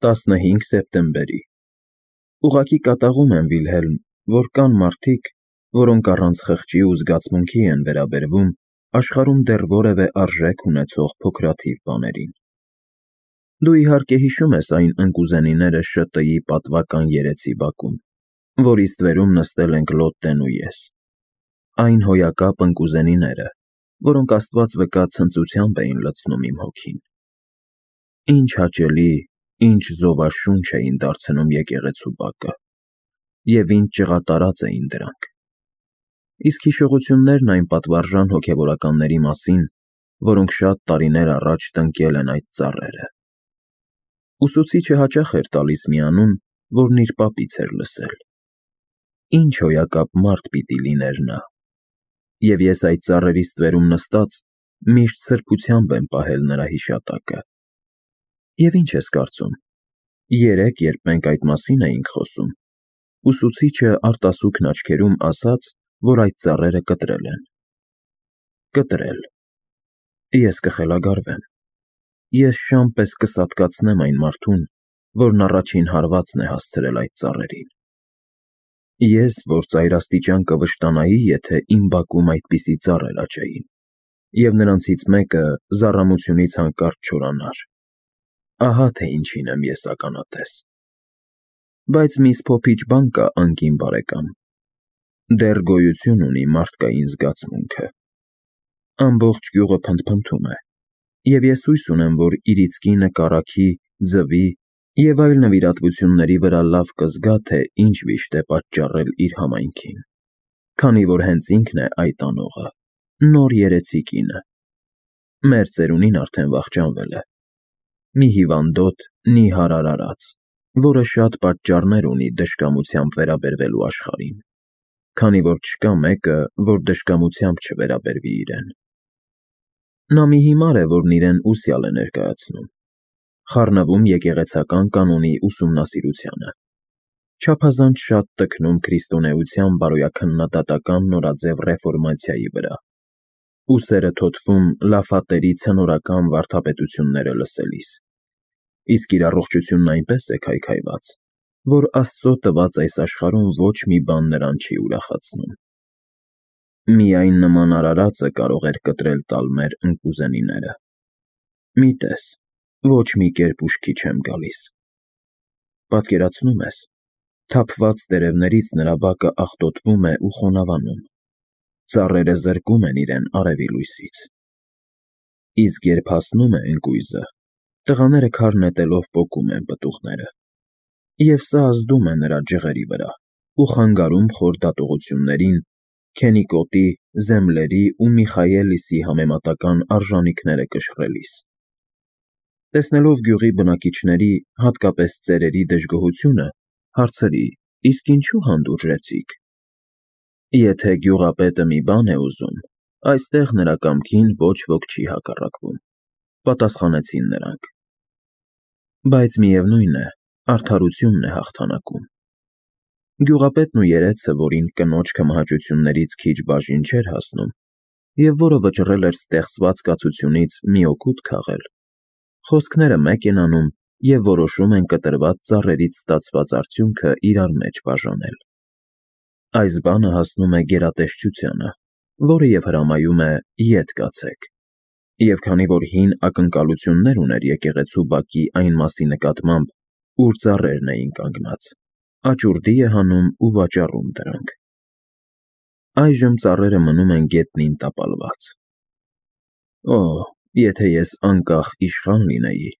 15 սեպտեմբերի Ուղղակի կատաղում եմ, Վիլհելմ, որ կան մարդիկ, որոնք առանց խղճի ու զգացմունքի են վերաբերվում աշխարհում դեռ որևէ արժեք ունեցող փոքրաթիվ բաներին։ Դու իհարկե հիշում ես այն ընկուզենիները ՇՏ-ի պատվական երեցի բակում, որի ստվերում նստել ենք Լոտտեն ու ես։ Այն հոյակապ ընկուզենիները, որոնք Աստված վկա ցնծությամբ էին լցնում իմ հոգին։ Ինչ հաճելի, ինչ զովաշունչ էին դարձնում եկեղեցու բակը, և ինչ ջղատարած էին դրանք։ Իսկ հիշողություններն այն պատվարժան հոգևորականների մասին, որոնք շատ տարիներ առաջ տնկել են այդ ծառերը։ Ուսուցիչը հաճախ էր տալիս մի անուն, որն իր պապից էր լսել։ Ինչ հոյակապ մարդ պիտի լիներ նա։ Եվ ես այդ ծառերի ստվերում նստած միշտ սրբությամբ եմ պահել նրա հիշատակը։ Եվ ինչ ես կարծում, երեկ, երբ մենք այդ մասին էինք խոսում, ուսուցիչը արտասուքն աչքերում ասաց, որ այդ ծառերը կտրել են։ Կտրել։ Ես կխելագարվեմ։ Ես շան պես կսատկացնեմ այն մարդուն, որն առաջին հարվածն է հասցրել այդ ծառերին։ Ես, որ ծայրաստիճան կվշտանայի, եթե իմ բակում այդպիսի ծառեր աճեին, և նրանցից մեկը զառամությունից հանկարծ չորանար։ Ահա թե ինչին եմ ես ականատես։ Բայց մի սփոփիչ բան կա, անկին բարեկամ. դեռ գոյություն ունի մարդկային զգացմունքը։ Ամբողջ գյուղը փնթփնթում է, և ես հույս ունեմ, որ իրիցքի նկարագի, ձվի և այլ նվիրատվությունների վրա լավ կզգա, թե ինչ վիշտ է պատճառել իր համայնքին, քանի որ հենց ինքն է այդ անողը, նոր երեցի կինը։ Մեր ծերունին արդեն վախճանվել է։ Մի հիվանդոտ, նիհար արարած, որը շատ պատճառներ ունի դժկամությամբ վերաբերվելու աշխարհին, քանի որ չկա մեկը, որ դժկամությամբ չվերաբերվի իրեն։ Նա մի հիմար է, որն իրեն ուսյալ է ներկայացնում, խառնվում եկեղեցական կանոնի ուսումնասիրությանը, չափազանց շատ տքնում քրիստոնեության բարոյաքննադատական նորաձև ռեֆորմացիայի վրա, ուսերը թոթվում լաֆատերի ցնորական վարդապետությունները լսելիս, իսկ իր առողջությունն այնպես է քայքայված, որ Աստծո տված այս աշխարհում ոչ մի բան նրան չի ուրախացնում։ Միայն նման արարածը կարող էր կտրել տալ մեր ընկուզենիները։ Մի տես, ոչ մի կերպ ուշքի չեմ գալիս։ Պատկերացնո՞ւմ ես, թափված տերևներից նրա բակը աղտոտվում է ու խոնավանում, ծառերը զրկում են իրեն արևի լույսից։ Իսկ երբ հասնում է ընկույզը, տղաները քար նետելով պոկում են պտուղները, և սա ազդում է նրա ջղերի վրա ու խանգարում խոր դատողություններին, Քենիկոտի, Զեմլերի ու Միխայելիսի համեմատական արժանիքները կշռելիս։ Տեսնելով գյուղի բնակիչների, հատկապես ծերերի դժգոհությունը, հարցրի. իսկ ինչու հանդուրժեցիք։ Եթե գյուղապետը մի բան է ուզում, այստեղ նրա կամքին ոչ ոք չի հակառակվում, պատասխանեցին նրանք։ Բայց միևնույն է, արդարությունն է հաղթանակում։ Գյուղապետն ու երեցը, որին կնոջ մահաճություններից քիչ բաժին չէր հասնում, և որը վճռել էր ստեղծված կացությունից մի օգուտ քաղել, խոսքները մեկ են անում և որոշում են կտրված ծառերից ստացված արդյունքը իրար մեջ բաժանել։ Այս բանը հասնում է գերատեսչությանը, որը և հրամայում է ետ կացեք, և քանի որ հին ակնկալություններ ուներ եկեղեցու բակի այն մասի նկատմամբ, ուր ծառերն էին կանգնած, աճուրդի է հանում ու վաճառում դրանք։ Այժմ ծառերը մնում են գետնին տապալված։ Օ, եթե ես անկախ իշխան լինեի,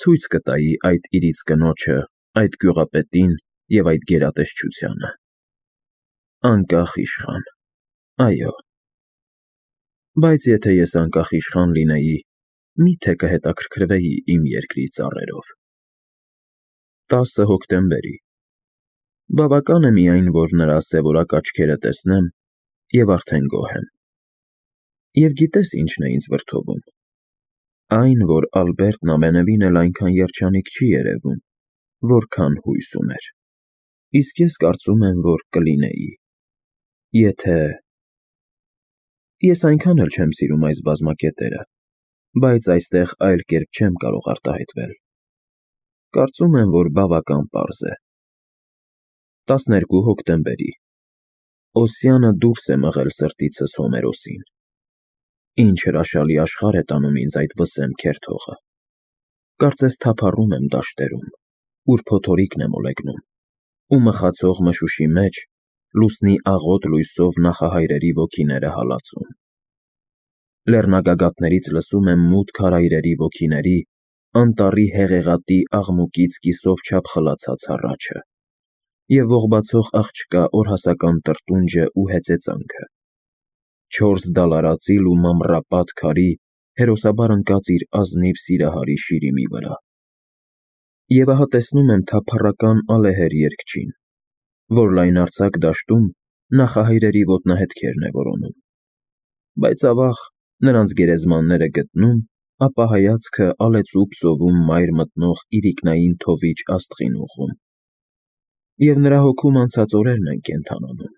ցույց կտայի այդ իրից կնոջը, այդ գյուղապետին և այդ գերատեսչությանը։ Անկախ իշխան, այո։ Բայց եթե ես անկախ իշխան լինեի, մի՞թե կհետաքրքրվեի իմ երկրի ծառերով։ 10 հոկտեմբերի Բավական է միայն, որ նրա սևորակ աչքերը տեսնեմ, և արդեն գոհ եմ։ Եվ գիտես ինչն է ինձ վրդովում։ Այն, որ Ալբերտն ամենևին էլ այնքան երջանիկ չի երևում, որքան հույս ուներ։ Իսկ ես կարծում եմ, որ կլինեի, եթե… Ես այնքան էլ չեմ սիրում այս բազմակետերը, բայց այստեղ այլ կերպ չեմ կարող արտահայտվել։ Կարծում եմ, որ բավական պարզ է։ 12 հոկտեմբերի Օսյանը դուրս է մղել սրտիցս Հոմերոսին։ Ինչ հրաշալի աշխարհ է տանում ինձ այդ վսեմ քերթողը։ Կարծես թափառում եմ դաշտերում, ուր փոթորիկն է մոլեգնում, ու մխացող մշուշի մեջ լուսնի աղոտ լույսով նախահայրերի ոգիները հալածում։ Լեռնագագաթներից լսում եմ մութ քարայրերի ոգիների անտառի հեղեղատի աղմուկից կիսով չափ խլացած հառաչը և ողբացող աղջկա օրհասական տրտունջը ու հեծեծանքը։ 4 դալարածիլ ու մամռապատ քարի հերոսաբար ընկած իր ազնիվ սիրահարի շիրիմի վրա։ Եվ ահա տեսնում եմ թափառական ալեհեր երգչին, որ լայնարձակ դաշտում նախահայրերի ոտնահետքերն է որոնում։ Բայց ավաղ նրանց գերեզմանները գտնում, ապա հայացքը ալեցուպ ծովում մայր մտնող իրիկնային թովիչ աստղին ուղղում։ Եվ նրա հոգում անցած օրերն են կենդանանում,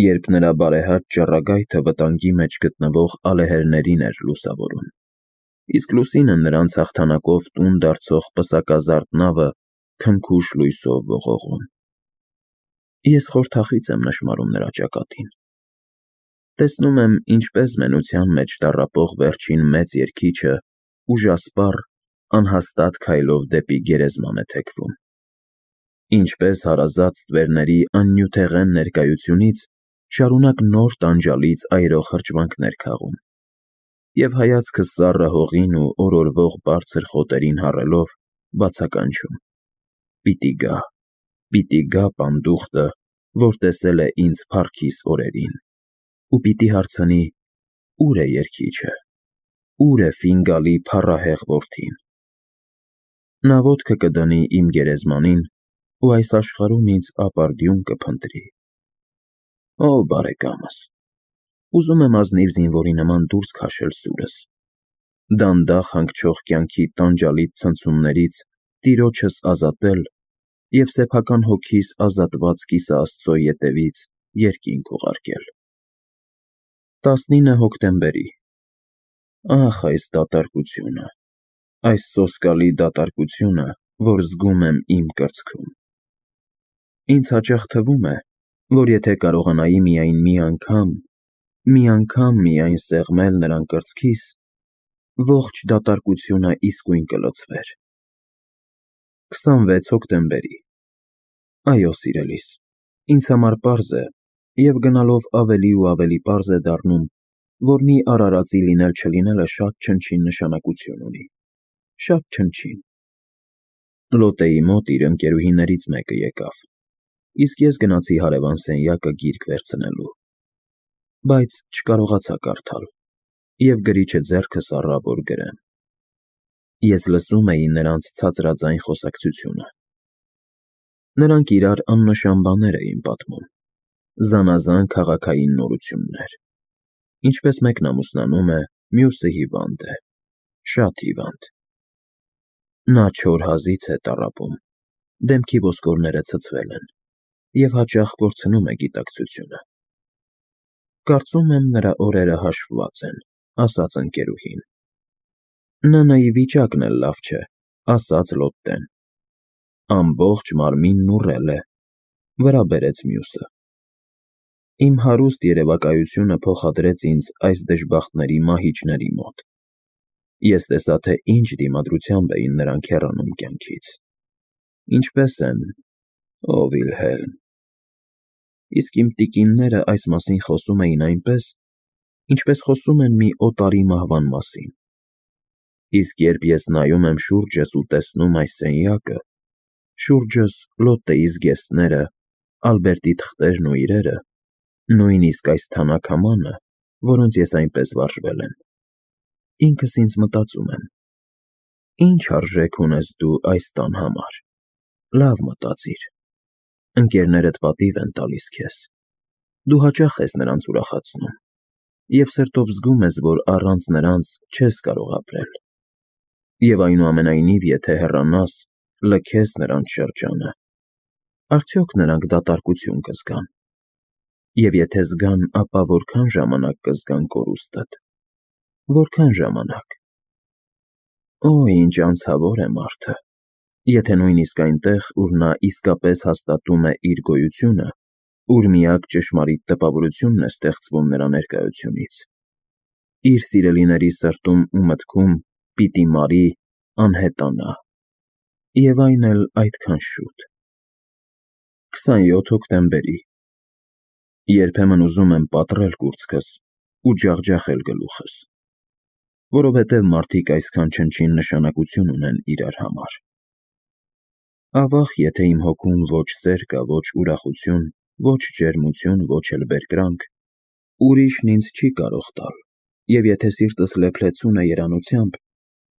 երբ նրա բարեհաճ ճառագայթը վտանգի մեջ գտնվող ալեհերներին էր լուսավորում, իսկ լուսինը նրանց հաղթանակով տուն դարձող պսակազարդ նավը քնքուշ լույսով ողողում։ Ես խորթախից եմ նշմարում նրա ճակատին։ Տեսնում եմ, ինչպես մենության մեջ տառապող վերջին մեծ երգիչը ուժասպառ, անհաստատ քայլով դեպի գերեզման է թեքվում։ Ինչպես հարազատ ստվերների աննյութեղեն ներկայությունից շարունակ նոր տանջալից այրող հրճվանքներ քաղում, և հայացքը սառը հողին ու օրորվող բարձր խոտերին հառելով բացականչում. պիտի գա պանդուխտը, որ տեսել է ինձ փառքիս օրերին, ու պիտի հարցնի. ուր է երգիչը, ուր է Ֆինգալի փառահեղ որդին։ Նա ոտքը կդնի իմ գերեզմանին ու այս աշխարհում ինձ ապարդյուն կփնտրի։ Ո բարեկամս, ուզում եմ ազնիվ զինվորի նման դուրս քաշել սուրս, դանդաղ հանգչող կյանքի տանջալից ցնցումներից տիրոջս ազատել և սեփական հոգիս ազատված կիսաաստծո ետևից երկինք ուղարկել։ 19 հոկտեմբերի Ահ, այս դատարկությունը, այս սոսկալի դատարկությունը, որ զգում եմ իմ կրծքում։ Ինձ հաճախ թվում է, որ եթե կարողանայի միայն մի անգամ միայն սեղմել նրան կրծքիս, ողջ դատարկությունը իսկույն կլցվեր։ 26 հոկտեմբերի Այո, սիրելիս, ինձ համար պարզ է, և գնալով ավելի ու ավելի պարզ է դառնում, որ մի արարածի լինել-չլինելը շատ չնչին նշանակություն ունի, շատ չնչին։ Լոտեի մոտ իր ընկերուհիներից մեկը եկավ, իսկ ես գնացի հարևան սենյակը գիրք վերցնելու, բայց չկարողացա կարդալ, և գրիչը ձեռքս առա, որ գրեմ։ Ես լսում էի նրանց ցածրաձայն խոսակցությունը։ Նրանք իրար աննշան բաներ էին պատմում, զանազան քաղաքային նորություններ, ինչպես մեկն ամուսնանում է, մյուսը հիվանդ է, շատ հիվանդ։ Նա չոր հազից է տառապում, դեմքի ոսկորները ցցվել են, և հաճախ կորցնում է գիտակցությունը։ Կարծում եմ, նրա օրերը հաշվված են, ասաց ընկերուհին։ ՆՆ-ի վիճակն էլ լավ չէ, ասաց Լոտտեն։ Ամբողջ մարմինն ուռել է, վրա բերեց մյուսը։ Իմ հարուստ երևակայությունը փոխադրեց ինձ այս դժբախտների մահիճների մոտ։ Ես տեսա, թե ինչ դիմադրությամբ էին նրանք հեռանում կյանքից։ Ինչպես են, ո Վիլհելմ։ Իսկ իմ տիկինները այս մասին խոսում էին այնպես, ինչպես խոսում են մի օտարի մահվան մասին։ Իսկ երբ ես նայում եմ շուրջս ու տեսնում այս սենյակը, շուրջս Լոտտեի զգեստները, Ալբերտի թղթերն ու իրերը, նույնիսկ այս թանաքամանը, որոնց ես այնպես վարժվել եմ, ինքս ինձ մտածում եմ. ինչ արժեք ունես դու այս տան համար, լավ մտածիր, ընկերներդ պատիվ են տալիս քեզ, դու հաճախ ես նրանց ուրախացնում, և սրտով զգում ես, որ առանց նրանց չես կարող ապրել, և այնուամենայնիվ, եթե հեռանաս, լքես նրանց շրջանը, արդյոք նրանք դատարկություն կզգան, և եթե զգան, ապա որքան ժամանակ կզգան կորուստդ, որքան ժամանակ։ Օ, ինչ անցավոր է մարդը, Եթե նույնիսկ այնտեղ, ուր նա իսկապես հաստատում է իր գոյությունը, ուր միակ ճշմարիտ տպավորությունն է ստեղծվում նրա ներկայությունից, իր սիրելիների սրտում ու մտքում պիտի մարի, անհետանա, և այն էլ այդքան շուտ։ 27 հոկտեմբերի Երբեմն ուզում եմ պատռել կուրծքս ու ջախջախել գլուխս, որովհետև մարդիկ այսքան չնչին նշանակություն ունեն իրար համար։ Ավաղ, եթե իմ հոգում ոչ սեր կա, ոչ ուրախություն, ոչ ջերմություն, ոչ էլ բերկրանք, ուրիշն ինձ չի կարող տալ, և եթե սիրտս լեփլեցուն է երանությամբ,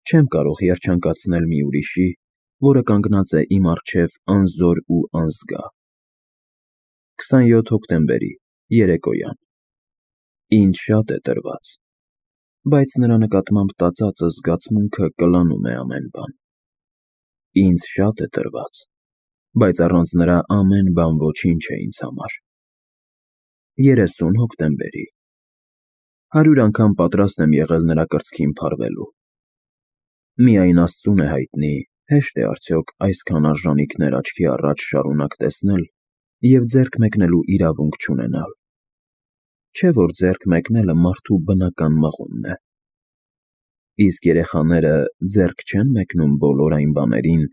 չեմ կարող երջանկացնել մի ուրիշի, որը կանգնած է իմ առջև անզոր ու անզգա։ 27 հոկտեմբերի երեկոյան Ինձ շատ է տրված, բայց նրա նկատմամբ տածածը զգացմունքը կլանում է ամեն բան։ Ինձ շատ է տրված, բայց առանց նրա ամեն բան ոչինչ է ինձ համար։ 30 հոկտեմբերի 100 անգամ պատրաստ եմ եղել նրա կրծքին փարվելու։ Միայն Աստծուն է հայտնի, հեշտ է արդյոք այսքան արժանինքներ աչքի առաջ շարունակ տեսնել և ձեռք մեկնելու իրավունք չունենալ։ Չէ՞ որ ձեռք մեկնելը մարդու բնական մղումն է։ Իսկ երեխաները ձեռք չեն մեկնում բոլոր այն բաներին,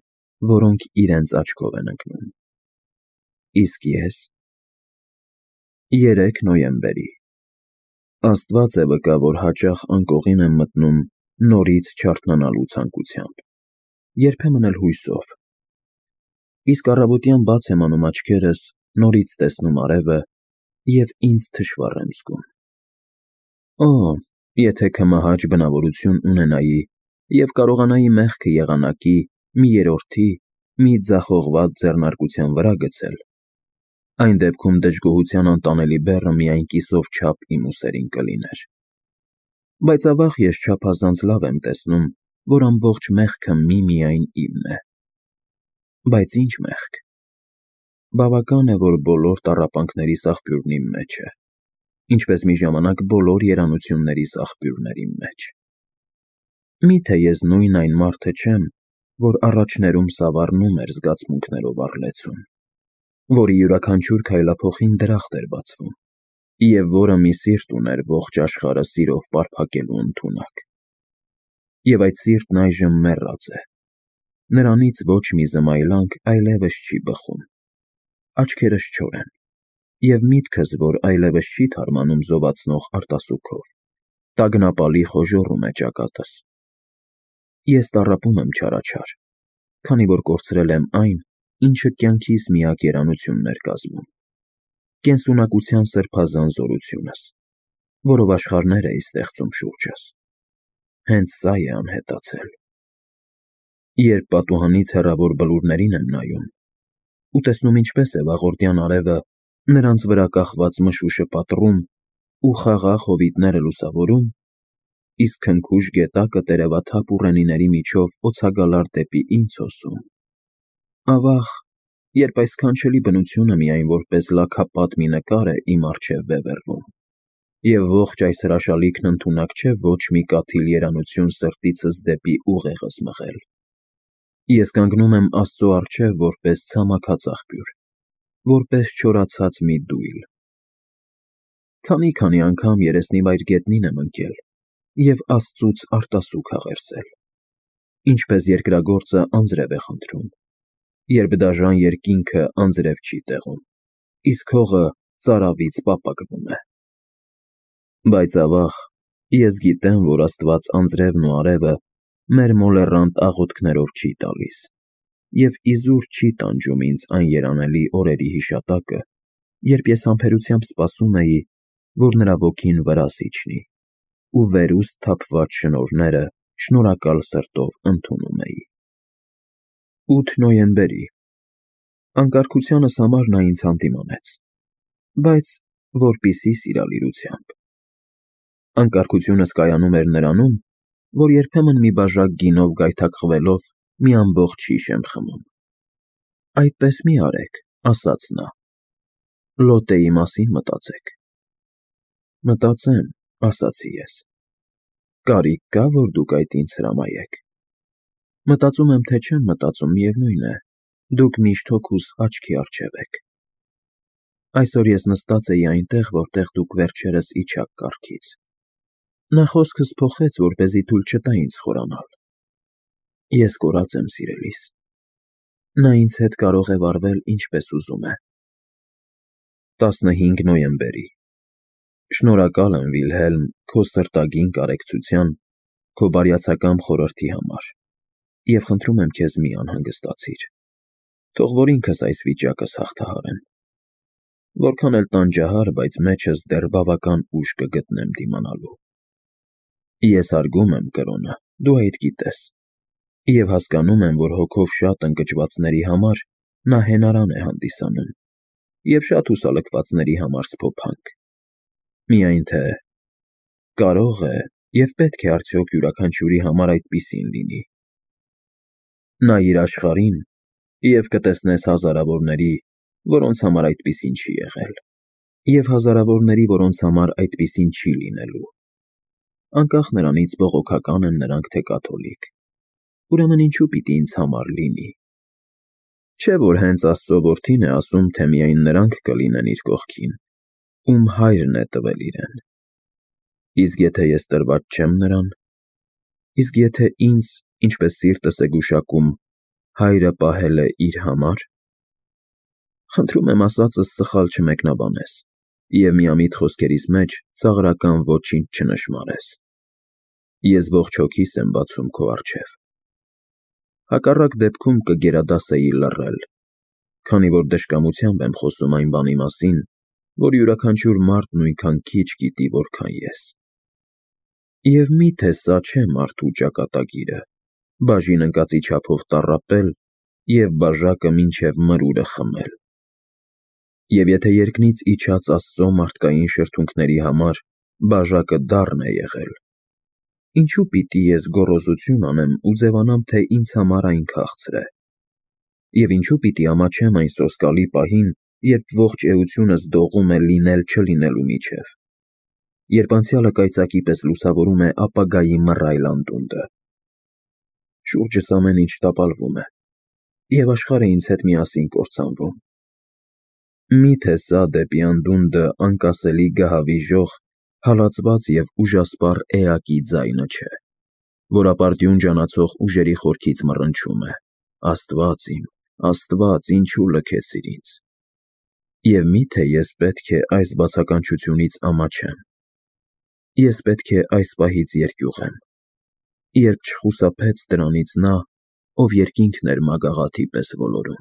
որոնք իրենց աչքով են ընկնում։ Իսկ ես… 3 նոյեմբերի Աստված է վկա, որ հաճախ անկողին եմ մտնում նորից չարթնանալու ցանկությամբ, երբեմն էլ հույսով։ Իսկ առավոտյան բաց եմ անում աչքերս, նորից տեսնում արևը և ինձ թշվառ եմ զգում։ Օ, եթե քմահաճ բնավորություն ունենայի և կարողանայի մեղքը եղանակի, մի երրորդի, մի ձախողված ձեռնարկության վրա գցել, այն դեպքում դժգոհության անտանելի բեռը միայն կիսով չափ իմ ուսերին կլիներ։ Բայց ավաղ ես չափազանց լավ եմ տեսնում, որ ամբողջ մեղքը միմիայն իմն է։ Բայց ի՞նչ մեղք։ Բավական է, որ բոլոր տառապանքներիս աղբյուրն իմ մեջ է, ինչպես մի ժամանակ բոլոր երանություններիս աղբյուրն էր իմ մեջ։ Մի՞թե ես նույն այն մարդը չեմ, որ առաջներում սավառնում էր զգացմունքներով առլեցուն, որի յուրաքանչյուր քայլափոխին դրախտ էր բացվում, և որը մի սիրտ ուներ ողջ աշխարհը սիրով պարփակելու ընդունակ։ Եվ այդ սիրտն այժմ մեռած է, նրանից ոչ մի զմայլանք այլևս չի բխում, աչքերս չոր են, և միտքս, որ այլևս չի թարմանում զովացնող արտասուքով, տագնապալի խոժոռում է ճակատս։ Ես տառապում եմ չարաչար, քանի որ կորցրել եմ այն, ինչը կյանքիս միակ երանությունն էր կազմում, կենսունակության սրբազան զորությունս, որով աշխարհներ էի ստեղծում շուրջս։ Հենց սա է անհետացել։ Երբ պատուհանից հեռավոր բլուրներին եմ նայում ու տեսնում ինչպես է վաղորդյան արևը նրանց վրա կախված մշուշը պատռում ու խաղաղ հովիտները լուսավորում, իսկ քնքուշ գետակը տերևաթափ ուռենիների միջով օձագալար դեպի ինձ հոսում, ավաղ, երբ այս սքանչելի բնությունը միայն որպես լաքապատ մի նկար է իմ առջև բևեռվում, և ողջ այս հրաշալիքն ընդունակ չէ ոչ մի կաթիլ երանություն սրտիցս դեպի ուղեղս մղել, ես կանգնում եմ Աստծո առջև որպես ցամաքած աղբյուր, որպես չորացած մի դույլ։ Քանի անգամ երեսնիվայր գետնին եմ ընկել և Աստծուց արտասուք աղերսել, ինչպես երկրագործը անձրև է խնդրում, երբ դաժան երկինքը անձրև չի տեղում, իսկ հողը ծարավից պապակվում է։ Բայց ավաղ, ես գիտեմ, որ Աստված անձրևն ու արևը մեր մոլեռանդ աղոթքներով չի տալիս, և իզուր չի տանջում ինձ այն երանելի օրերի հիշատակը, երբ ես համբերությամբ սպասում էի, որ նրա ոգին վրաս իջնի, ու վերուստ թափված շնորհները շնորհակալ սրտով ընդունում էի։ 8 նոյեմբերի Անկարգությանս համար նա ինձ հանդիմանեց, բայց որպիսի սիրալիրությամբ։ Անկարգությունս կայանում էր նրանում, որ երբեմն մի բաժակ գինով գայթակղվելով մի ամբողջ շիշ եմ խմում։ Այդպես մի արեք, ասաց նա, Լոտեի մասին մտածեք։ Մտածեմ, ասացի ես, կարիք կա, որ դուք այդ ինձ հրամայեք։ Մտածում եմ, թե չեմ մտածում, միևնույն է, դուք միշտ հոգուս աչքի առջև եք։ Այսօր ես նստած էի այնտեղ, որտեղ դուք վերջերս իջաք կառքից։ Նա խոսքս փոխեց, որպեսզի թույլ չտա ինձ խորանալ։ Ես կորած եմ, սիրելիս։ Նա ինձ հետ կարող է վարվել ինչպես ուզում է։ 15 նոյեմբերի։ Շնորհակալ եմ, Վիլհելմ, քո սրտագին կարեկցության, քո բարյացակամ խորհրդի համար, և խնդրում եմ քեզ մի անհանգստացիր։ Թող որ ինքս այս վիճակս հաղթահարեմ։ Որքան էլ տանջահար, բայց մեջս դեռ բավական ուժ կգտնեմ դիմանալու։ Ես հարգում եմ կրոնը, դու այդ գիտես, և հասկանում եմ, որ հոգով շատ ընկճվածների համար նա հենարան է հանդիսանում, և շատ հուսալքվածների համար սփոփանք։ Միայն թե կարո՞ղ է և պետք է արդյոք յուրաքանչյուրի համար այդպիսին լինի։ Նայիր աշխարհին և կտեսնես հազարավորների, որոնց համար այդպիսին չի եղել, և հազարավորների, որոնց համար այդպիսին չի լինելու։ Անկախ նրանից բողոքական են նրանք, թե կաթոլիկ։ Ուրեմն ինչու պիտի ինձ համար լինի։ Չէ՞ որ հենց Աստծո որդին է ասում, թե միայն նրանք կլինեն իր կողքին, ում հայրն է տվել իրեն։ Իսկ եթե ես տրված չեմ նրան, իսկ եթե ինձ, ինչպես սիրտս է գուշակում, հայրը պահել է իր համար։ Խնդրում եմ ասածս սխալ չմեկնաբանես և միամիտ խոսքերիս մեջ ծաղրական ոչինչ չնշմարես։ Ես ողջ հոգիս եմ բացում քո առջև։ Հակառակ դեպքում կգերադասեի լռել, քանի որ դժկամությամբ եմ խոսում այն բանի մասին, որ յուրաքանչյուր մարդ նույնքան քիչ գիտի, որքան ես։ Եվ մի՞թե սա չէ մարդու ճակատագիրը, բաժին ընկածի չափով տառապել և բաժակը մինչև մրուրը խմել։ Եվ եթե երկնից իջած Աստծո մարդկային շրթունքների համար բաժակը դառն է եղել, ինչու պիտի ես գոռոզություն անեմ ու ձևանամ, թե ինձ համար այն քաղցր է։ Եվ ինչու պիտի ամաչեմ այն սոսկալի պահին, երբ ողջ էությունս դողում է լինել-չլինելու միջև, երբ անցյալը կայծակի պես լուսավորում է ապագայի մռայլ անդունդը։ Շուրջս ամեն ինչ տապալվում է, և աշխարհը ինձ հետ միասին կործանվում։ Մի՞թե սա դեպի անդունդը անկասելի գահավիժող, հալածված և ուժասպառ էակի ձայնը չէ, որ ապարդյուն ջանացող ուժերի խորքից մռնչում է. Աստված իմ, Աստված, ինչու լքեցիր ինձ։ Եվ մի՞թե ես պետք է այս բացականչությունից ամաչեմ։ Ես պետք է այս պահից երկյուղեմ, երբ չխուսափեց դրանից նա, ով երկինքն էր մագաղաթի պես ոլորում։